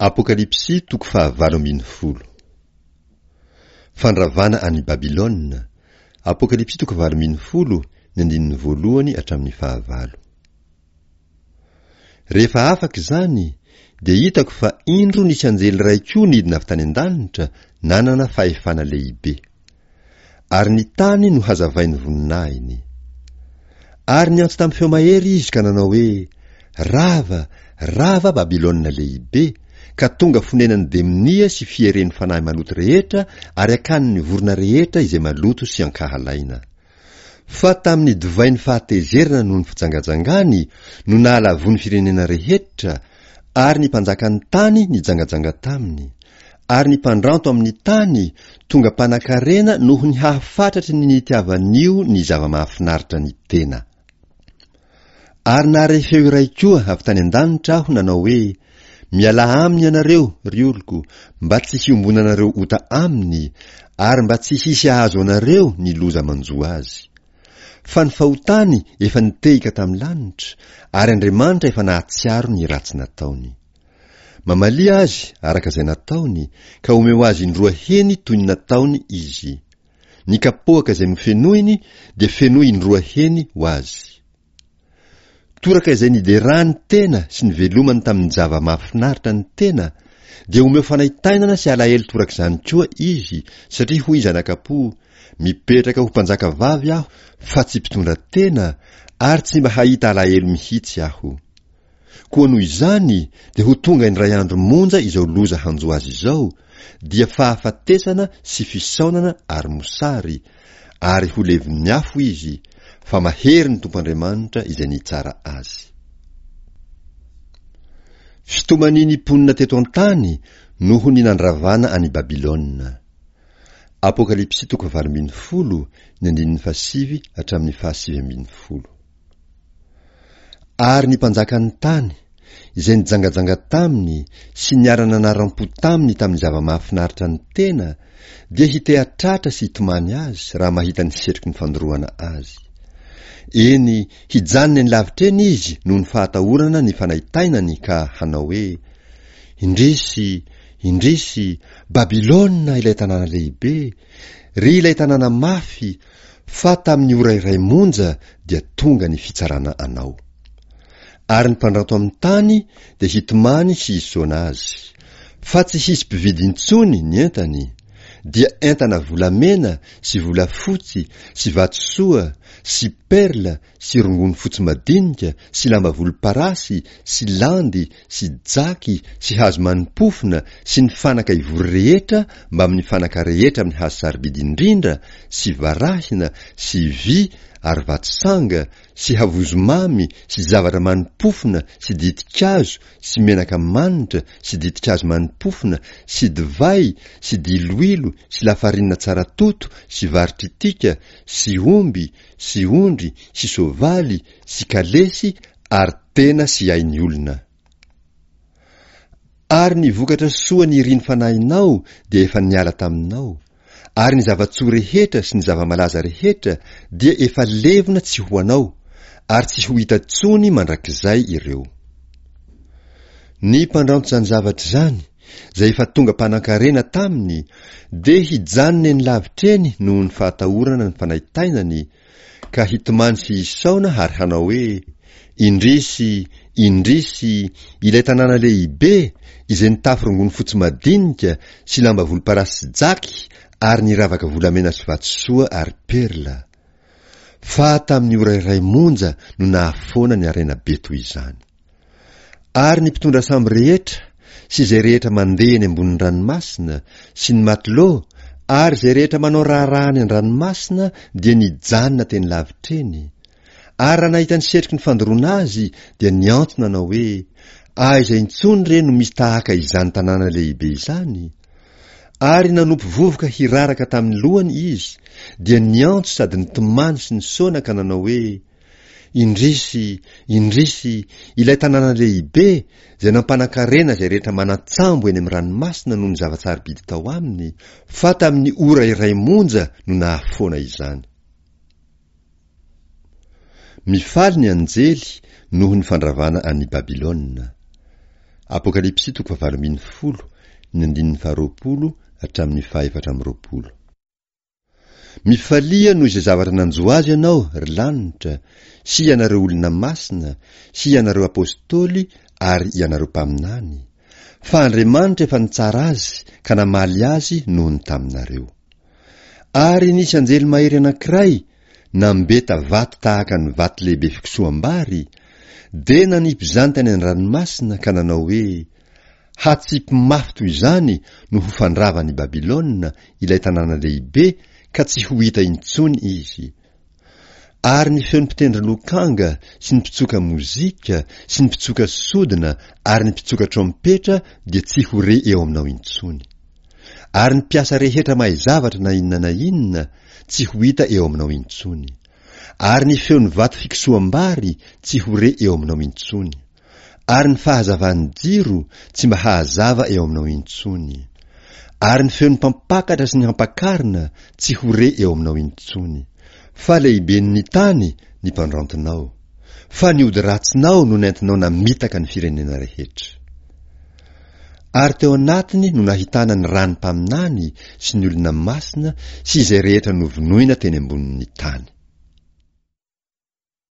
Apokalypsy toko fahavalo ambin'ny folo. Fandravana an'i Babylona, Apokalypsy toko 18, ny andininy voalohany hatramin'ny fahavalo. Rehefa afaka izany, dia hitako fa indro nisy anjely iray koa nidina avy tany an-danitra, nanana fahefana lehibe. Ary ny tany nohazavain'ny voninahiny. Ary niantso tamin'ny feo mahery izy ka nanao hoe, Rava, rava Babylona lehibe, ka tonga fonenan'ny demonia sy fieren'ny fanahy maloto rehetra ary akanin'ny vorona rehetra izay maloto sy ankahalaina. Fa tamin'ny divain'ny fahatezerana noho ny fijangajangany no nahalavoa ny firenena rehetra, ary ny mpanjakan'ny tany nijangajanga taminy, ary ny mpandranto amin'ny tany tonga mpanankarena noho ny hahafatratry ny nitiavan'io ny zava-mahafinaritra ny tena. Ary nahare feo iray koa avy tany an-danitra aho nanao hoe, Mialà aminy ianareo, ry oloko, mba tsy hiombonanareo ota aminy, ary mba tsy hisy hahazo anareo ny loza manjo azy. Fa ny fahotany efa nitehika tamin'ny lanitra, ary Andriamanitra efa nahatsiaro ny ratsy nataony. Mamalia azy araka izay nataony, ka omeo azy indroa heny toy ny nataony izy. Ny kapoaka izay nofenoiny dia fenoy indroa heny ho azy. Toraka izay niderany tena sy nivelomany tamin'ny zava-mahafinaritra ny tena, dia omeo fanaintainana sy alahelo torak'izany koa izy, satria hoy izy anakapo, Mipetraka ho mpanjaka vavy aho, fa tsy mpitondra tena, ary tsy mba hahita alahelo mihitsy aho. Koa noho izany dia ho tonga indray andro monja izao loza hanjo azy izao, dia fahafatesana sy fisaonana ary mosary, ary ho levon'ny afo izy, fa mahery ny Tompo Andriamanitra izay nitsara azy. Fitomanian'ny mponina teto an-tany noho ny nandravana an'i Babylona. Apokalypsy toko fahavalo ambin'ny folo, ny andininy fahasivy hatramin'ny fahasivy ambin'ny folo. Ary ny mpanjakan'ny tany, izay nijangajanga taminy sy niara-nanaram-po taminy tamin'ny zava-mahafinaritra ny tena, dia hiteha-tratra sy hitomany azy raha mahita ny setroky ny fandoroana azy. Eny, hijanona eny lavitra eny izy noho ny fahatahorana ny fanaintainany ka hanao hoe, Indrisy, indrisy, Babylona ilay tanàna lehibe, ry ilay tanàna mafy, Fa tamin'ny ora iray monja dia tonga ny fitsarana anao. Ary ny mpandranto amin'ny tany dia hitomany sy hisaona azy. Fa tsy hisy mpividy intsony ny entany, dia entana volamena sy volafotsy sy vatosoa sy perla sy rongony fotsy madinika sy lamba volomparasy sy landy sy jaky sy hazo mani-pofona sy ny fanaka ivory rehetra mbamin'ny fanaka rehetra amin'ny hazo sarobidy indrindra sy varahina sy vy ary vatosanga sy havozomamy sy zavatra mani-pofona sy ditin-kazo sy menaka manitra sy ditin-kazo mani-pofona sy divay sy diloilo sy lafarinina tsara toto sy vary tritika sy omby sy ondry sy soavaly sy kalesy ary tena sy ain'ny olona. Ary ny vokatra soa nirian'ny fanahinao dia efa niala taminao, ary ny zava-tsoa rehetra sy ny zava-malaza rehetra dia efa levona tsy ho anao, ary tsy ho hita intsony mandrakizay ireo. Ny mpandranto izany zavatra izany, izay efa tonga mpanankarena taminy, dia hijanona eny lavitra eny noho ny fahatahorana ny fanaintainany, ka hitomany sy hisaona ary hanao hoe, Indrisy, indrisy, ilay tanàna lehibe, izay nitafy rongony fotsy madinika sy lamba volomparasy sy jaky ary niravaka volamena sy vatosoa ary perla! Fa tamin'ny ora iray monja no nahafoana ny harena be toy izany. Ary ny mpitondra sambo rehetra sy izay rehetra mandeha eny ambonin'ny ranomasina sy ny matelot ary izay rehetra manao raharaha any an-dranomasina dia nijanona teny lavitra eny, ary raha nahita ny setroky ny fandoroana azy dia niantso nanao hoe, Aiza intsony re no misy tahaka izany tanàna lehibe izany? Ary nanopy vovoka hiraraka tamin'ny lohany izy, dia niantso sady nitomany sy nisaona ka nanao hoe, Indrisy, indrisy, ilay tanàna lehibe, izay nampanan-karena izay rehetra manan-tsambo eny amin'ny ranomasina noho ny zava-tsarobidy tao aminy, fa tamin'ny ora iray monja no nahafoana izany. Mifaly ny anjely noho ny fandravana an'i Babylona. Apokalypsy toko fahavalo ambinifolo, ny andininy faharoapolo hatramin'ny fahaefatra amby roapolo. Mifalia noho izay zavatra nanjo azy ianao, ry lanitra, sy ianareo olona masina, sy ianareo apostoly ary ianareo mpaminany, fa Andriamanitra efa nitsara azy ka namaly azy noho ny taminareo. Ary nisy anjely mahery anankiray nambeta vato tahaka ny vato lehibe fikosoham-bary, dia nanipy izany tany an-dranomasina ka nanao hoe, Hatsipy mafy toy izany no ho fandravan' i Babylona ilay tanàna lehibe ka tsy ho hita intsony izy. Ary ny feon'ny mpitendry lokanga sy ny mpitsoka mozika sy ny mpitsoka sodina ary ny mpitsoka trompetra dia tsy ho re eo aminao intsony. Ary ny mpiasa rehetra mahay zavatra na inona na inona tsy ho hita eo aminao intsony. Ary ny feon'ny vato fikosoham-bary tsy ho re eo aminao intsony. Ary ny fahazavan'ny jiro tsy mba hahazava eo aminao intsony. Ary ny feon'ny mpampakatra sy ny hampakarina tsy ho re eo aminao intsony. Fa lehiben'ny tany ny mpandrantinao. Fa ny ody ratsinao no nentinao namitaka ny firenena rehetra. Ary teo anatiny no nahitana ny ran'ny mpaminany sy ny olona masina sy izay rehetra novonoina teny ambonin'ny tany.